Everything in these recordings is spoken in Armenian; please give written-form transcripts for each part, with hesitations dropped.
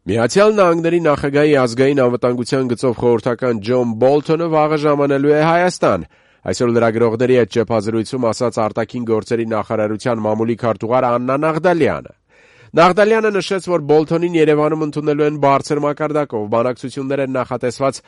Միացյալ Նահանգների նախագահի ազգային անվտանգության գծով խորհրդական Ջոն Բոլթոնը վաղը ժամանելու է Հայաստան։ Այսօր լրագրողների հետ ճեպազրույցում ասաց արտաքին գործերի նախարարության մամուլի քարտուղար Աննա Նաղդալյանը։ Նաղդալյանը նշեց, որ Բոլթոնին Երևանում ընդունելու են բարձր մակարդակով բանակցություններ են նախատեսված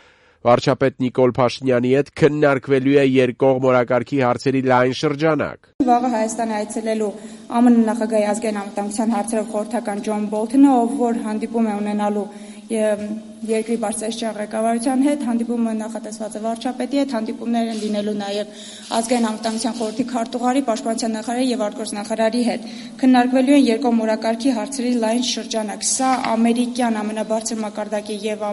վարչապետ Նիկոլ Փաշինյանի հետ, քննարկվելու է երկկողմ օրակարգի հարցերի լայն շրջանակ։ Վաղը Հայաստան այցելելու ԱՄՆ նախագահի ազգային անվտանգության հարցերով խորհրդական Ջոն Բոլթոնը, ով որ հանդիպում է ունենալու երկրի բարձրաստիճան ղեկավարության հետ, հանդիպումը նախատեսված է վարչապետի հետ, հանդիպումներ են լինելու նաև ազգային անվտանգության խորհրդի քարտուղարի, պաշտպանության նախարարի եւ արտգործնախարարի հետ։ Քննարկվելու են երկկողմ օրակարգի հարցերի լայն շրջանակ։ Սա ամերիկյան ամենաբարձր մակարդակի եւ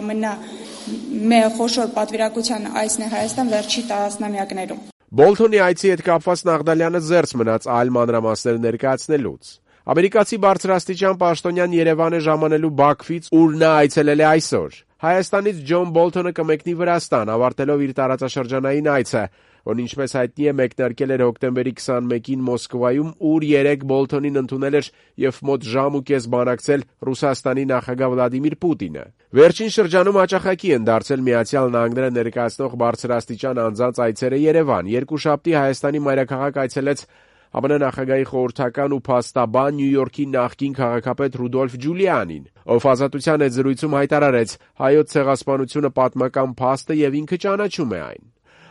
խոշոր պատվիրակության այցն է Հայաստան վերջի տասնամյակներում։ Բոլթոնի այցի հետ կապված Նաղդալյանը զերծ մնաց այլ մանրամասներ ներկայացնելուց։ Ամերիկացի բարձրաստիճան պաշտոնյան Երևան է ժամանելու Բաքվից, ուր նա այցելել է այսօր։ Հայաստանից Ջոն Բոլթոնը կմեկնի Վրաստան, ավարտելով իր տարածաշրջանային այցը, որն ինչպես հայտնի է մեկնարկել էր հոկտեմբերի 21-ին Մոսկվայում, ուր 3 Բոլթոնին ընդունել էր եւ մոտ ժամ ու կես բանակցել Ռուսաստանի նախագահ Վլադիմիր Պուտինը։ Վերջին շրջանում հաճախակի են դարձել Միացյալ Նահանգները ներկայացնող բարձրաստիճան անձանց այցերը Երևան։ Երկուշաբթի Հայաստանի մայրաքաղաք այցելեց ԱՄՆ նախագահի խորհրդական ու փաստաբան Նյու Յորքի նախկին քաղաքապետ Ռուդոլֆ Ջուլիանին, ով ազատության հետ զրույցում հայտարարեց՝ հայոց ցեղասպանությունը պատմական փաստ է եւ ինքը ճանաչում է այն։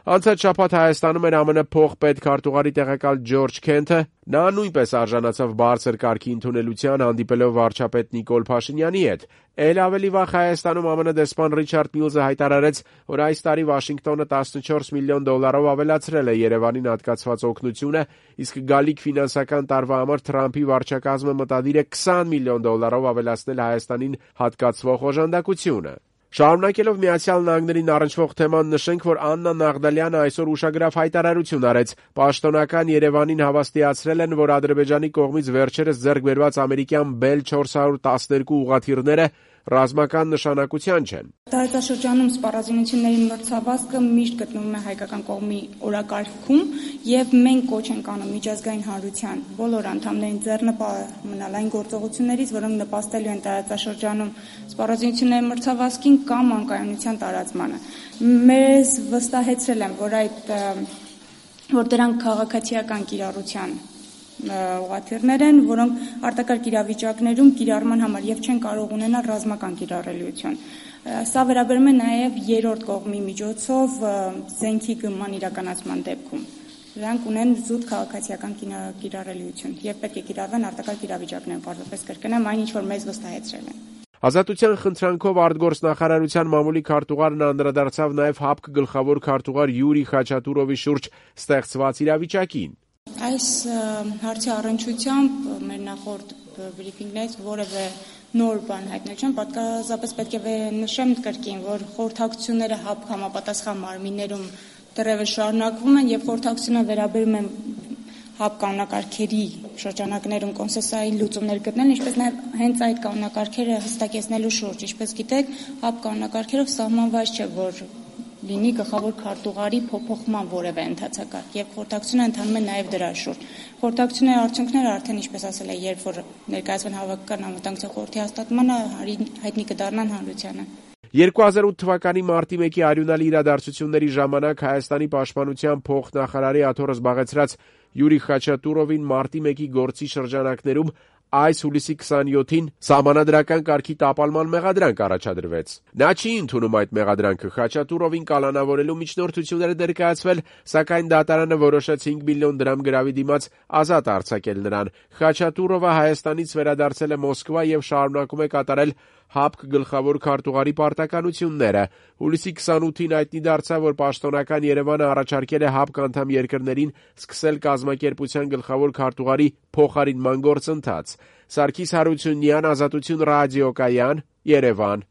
Անցած շաբաթ Հայաստանում էր ԱՄՆ փոխպետքարտուղարի տեղակալ Ջորջ Քենթը, նա նույնպես արժանացավ բարձր կարգի ընդունելության, հանդիպելով վարչապետ Նիկոլ Փաշինյանի հետ։ Էլ ավելի վաղ Հայաստանում ԱՄՆ դեսպան Ռիչարդ Միլզը հայտարարեց, որ այս տարի Վաշինգտոնը $14 միլիոն ավելացրել է Երևանին հատկացված օգնությունը, իսկ գալիք ֆինանսական տարվա համար Թրամփի վարչակազմը մտադիր է $20 միլիոն ավելացնել Հայաստանին հատկացվող օժանդակությունը։ Շարունակելով Միացյալ Նահանգներին առնչվող թեման նշենք, որ Աննա Նաղդալյանը այսօր ուշագրավ հայտարարություն արեց։ Պաշտոնական Երևանին հավաստիացրել են, որ Ադրբեջանի կողմից վերջերս ձեռք բերված ամերիկյան Bell 412 ուղղաթիռները ռազմական նշանակության չեն։ Տարածաշրջանում սպառազինությունների մրցավազքը միշտ գտնվում է հայկական կողմի օրակարգում եւ մենք կոչ ենք անում միջազգային հանրության բոլոր անդամներին ձեռնպահ մնալ այն գործողություններից, որոնք նպաստելու են տարածաշրջանում սպառազինությունների մրցավազքին կամ անկայունության տարածմանը։ Մեզ վստահեցրել են, որ դրանք քաղաքացիական կիրառության ուղղաթիռներ են, որոնք արտակարգ իրավիճակներում կիրառման համար եւ չեն կարող ունենալ ռազմական կիրառելիություն։ Սա վերաբերում է նաեւ երրորդ կողմի միջոցով զենքի գնման իրականացման դեպքում։ Դրանք ունեն զուտ քաղաքացիական կիրառելիություն եւ պետք է կիրառվեն արտակարգ իրավիճակներում, պարզապես կրկնեմ այն, ինչ որ մեզ վստահեցրել են։ Ազատության խնդրանքով արտգործնախարարության մամուլի քարտուղարն անդրադարձավ նաեւ ՀԱՊԿ գլխավոր քարտուղար Յուրի Խաչատուրովի շուրջ ստեղծված իրավիճակին։ Այս հարցի առնչությամբ մեր նախորդ բրիֆինգներից որևէ նոր բան հայտնել չեմ, պարզապես պետք է նշեմ կրկին, որ խորհրդակցությունները ՀԱՊԿ համապատասխան մարմիններում դեռևս շարունակվում են եւ խորհրդակցությունը վերաբերում են ՀԱՊԿ կանոնակարգերի շրջանակներում կոնսենսուալային լուծումներ գտնել, ինչպես նաև հենց այդ կանոնակարգերը հստակեցնելու շուրջ, ինչպես գիտեք, ՀԱՊԿ կանոնակարգերով սահմանված չէ, որ լինի գլխավոր քարտուղարի փոփոխման որևէ ընթացակարգ եւ խորհրդակցությունը ընթանում է նաեւ դրա շուրջ։ Խորհրդակցությունների արդյունքները արդեն ինչպես ասել է, երբ որ ներկայացվեն հավաքական անվտանգության խորհրդի հաստատմանը, հայտնի կդառնան հանրությանը։ 2008 թվականի մարտի 1-ի արյունալի իրադարձությունների ժամանակ Հայաստանի պաշտպանության փոխնախարարի աթոռը զբաղեցրած Յուրի Խաչատուրովին մարտի 1-ի գործի շրջանակներում այս հուլիսի 27-ին սահմանադրական կարգի տապալման մեղադրանք առաջադրվեց։ Նա չի ընդունում այդ մեղադրանքը, Խաչատուրովին կալանավորելու միջնորդություններ ներկայացվել, սակայն դատարանը որոշեց 5 միլիոն դրամ գրավի դիմաց ազատ արձակել նրան։ Խաչատուրովը Հայաստանից վերադարձել է Մոսկվա եւ շարունակում է կատարել ՀԱՊԿ գլխավոր քարտուղարի պարտականությունները։ Հուլիսի 28-ին հայտնի դարձավ, որ պաշտոնական Երևանը առաջարկել է ՀԱՊԿ անդամ երկրներին սկսել կազմակերպության գլխավոր քարտուղարի փոխարինման գործընթաց։ Սարգիս Հարությունյան, Ազատություն ռադիոկայան, Երևան։